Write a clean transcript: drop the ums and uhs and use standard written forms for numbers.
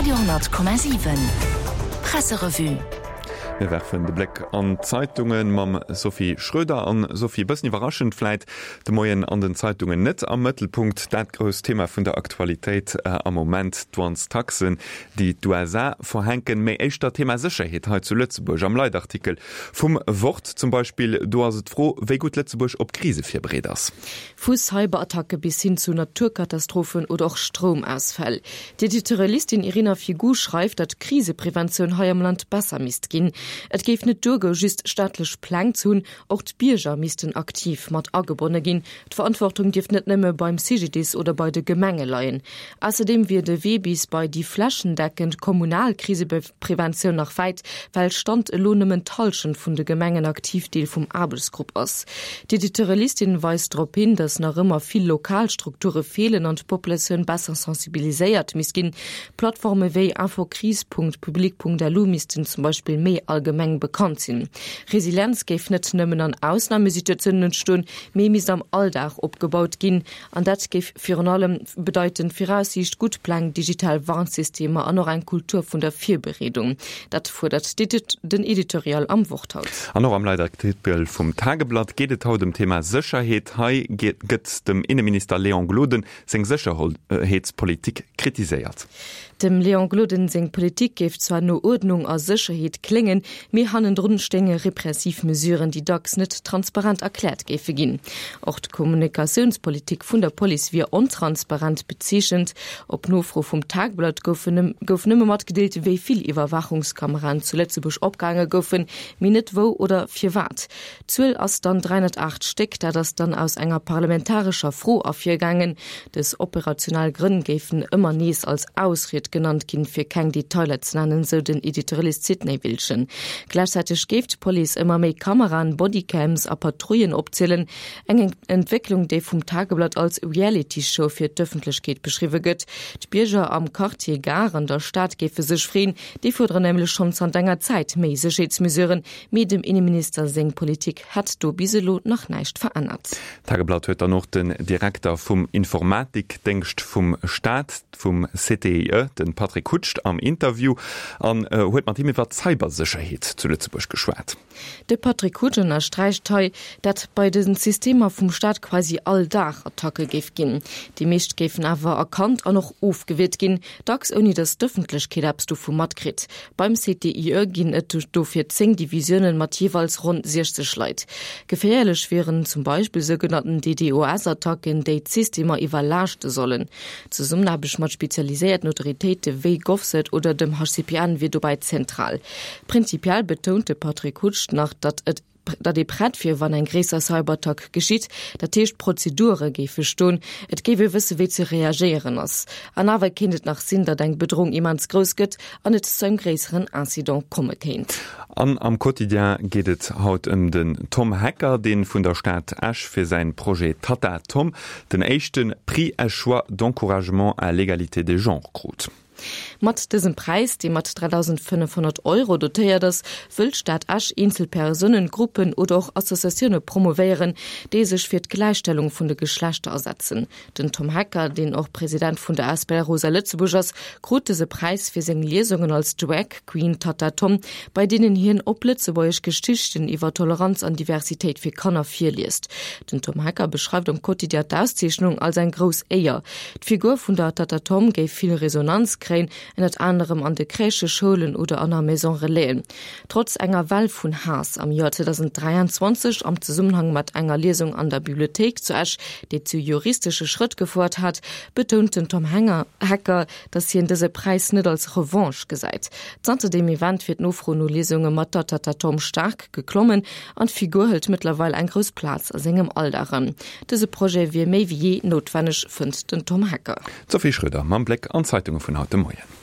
Radio,7 Presserevue. Mir werfen de Bléck an d'Zeitunge mam Sophie Schröder. An Sophie, e bëssen iwwerraschend vläit de Moien an den Zeitungen net am Mëttelpunkt dat grousst Thema vun der Aktualitéit am Moment, d'Douanestaxen, déi d'USA verhänken, mee éischter d'Thema Sécherheet hei zu Lëtzebuerg. Am Leitartikel vum Wort zum Beispill, do ass et d'Fro, wéi gutt Lëtzebuerg op Krise virbereet ass. Vu Cyberattacke bis hin zu Naturkatastrophen oder och Stroumausfäll. D'Editorialistin Irina Figu schreift, datt d'Krisepreventioun hei am Land besser misst ginn. Et géif net duergoe just staatlech Pläng ze hunn, och d'Bierger missten aktiv mat agebonne ginn. D'Verantwortung dierft net nëmme beim CGDIS oder bei de Gemenge leien. Ausserdeem wier de Wee bis bei déi flächendeckend kommunal Krisepreventioun nach wäit, well Stand elo nëmmen d'Hallschent vun de Gemengen aktiv Deel vum Aarbechtsgrupp ass. D'Editorialistin weist drop hin, datt nach ëmmer vill lokal Strukture feelen an d'Populatioun besser sensibiliséiert misst ginn. Plattforme wéi infocrise.public.lu missten zum Beispill méi allgemeng bekannt sinn. Resilienz géif net nëmmen an Ausnamesituatiounen entstoen, mee misst am Alldag opgebaut ginn. An dat géif virun allem bedeiten, Viraussiicht, gutt Pläng, digital Warnsystemer an och eng Kultur vun der Virbereedung. Dat fuerdert den Editorial am Wort haut. An och am Leitartikel vum Tageblatt geet et haut ëm d'Thema Sécherheet. Hei gëtt dem Inneminister Léon Gloden seng Sécherheetspolitik kritiséiert. Dem Léon Gloden seng Politik géif zwar no Uerdnung a Sécherheet kléngen, mee hannendrun stéinge repressiv Mesuren, déi dacks net transparent erkläert géife ginn. Och d'Kommunikatiounspolitik vun der Police wier ontransparent bezeechent. Op Nofro vum Tagblatt gouf nëmme matgedeelt, wéi vill Iwwerwaachungskameraen zu Lëtzebuerg opgehaange goufen, mee net wou oder firwat. D'Zuel ass dann 308 Stéck. Dat ass dann aus enger parlamentarescher Fro ervirgaangen. Dës operationell Grënn géifen ëmmer nees als Ausried genannt ginn, fir keng Detailer ze nennen, sou den Editorialist Sidney Wiltgen. Gläichzäiteg géif d'Police ëmmer méi Kameraen, Bodycams a Patrouillen opzielen. Eng Entwécklung, déi vum Tageblatt als Reality-Show fir d'Ëffentlechkeet beschriwwe gëtt. D'Bierger am Quartier Gare an der Stad géife sech freeën. Déi fuerderen nämlech schonn zanter enger Zäit méi Sécherheetsmesuren. Mee dem Inneminister seng Politik hätt do bis elo nach näischt verännert. D'Tageblatt huet dann och den Direkter vum Informatikdéngscht vum Staat, vum CTIE, de Patrick Hutscht am Interview an huet mat him iwwer d'Cybersécherheet zu Lëtzebuerg geschwat. De Patrick Hutsch ënnersträicht hei, dat bei de Systemer vum Staat quasi all Dag Attacke géif ginn. Déi meescht géifen awer erkannt an och ofgewiert ginn, dacks ouni datt d'Ëffentlechkeet eppes dovu matkritt. Beim CTIE ginn et dofir 10 Divisiounen mat jeeweils ronn 60 Leit. Geféierlech wieren zum Beispill sougenannten DDoS-Attacken, déi d'Systemer iwwerlaaschte sollen. D'Zesummenaarbecht mat spezialiséierten Autoritéite wéi GovCert oder dem HCPN wier dobäi zentral. Prinzipiell betount de Patrick Hutsch nach, datt et Datt ee prett wier, wann eng gréisser Cyberattack geschitt. Dat heescht, d'Prozedure géife stoen, et géif ee wësse wéi ze reagéieren ass. An awer kéint et nach sinn, datt eng Bedroung immens grouss gëtt an et zu engem gréisseren Incident komme kéint. An am Quotidien geet et haut ëm den Tom Hecker, dee vun der Stad Esch fir säin Projet Tatta Tom den éischte Prix Eschois d'encouragement à l'égalité des genres krut. Mat dësem Präis, dee mat 3.500 Euro dotéiert ass, wëll d'Stad Esch eenzel Persounen, Gruppen oder och Associatioune promovéieren, déi sech fir d'Gläichstellung vun de Geschlechter asetzen. Den Tom Hecker, deen och President vun der Asbl Rosa Lëtzebuerg ass, krut dëse Präis fir seng Liesungen als Drag Queen Tatta Tom, bei deenen hien op Lëtzebuergesch Geschichten iwwer Toleranz an Diversitéit fir Kanner virliest. Den Tom Hecker beschreift am Quotidien d'Auszeechnung als eng grouss Éier. D'Figur vun der Tatta Tom géif vill Resonanz kréien, ënnert anerem an de Crèchen, Schoulen oder an a Maison Relaisen. Trotz enger Well vun Haass am Joer 2023 am Zesummenhang mat enger Liesung an der Bibliothéik zu Esch, déi zu juristesche Schrëtt gefouert hat, betount den Tom Hecker, datt hien dëse Präis net als Revanche gesäit. Zanter deem Event wier d'Nofro no Liesunge mat der Tatta Tom staark geklommen an d'Figur hëlt mëttlerweil eng grouss Plaz a sengem Alldag an. Dëse Projet wier méi wéi jee noutwenneg, fënnt den Tom Hecker. D'Sophie Schröder mam Bléck an d'Zeitunge vun haut de Moien.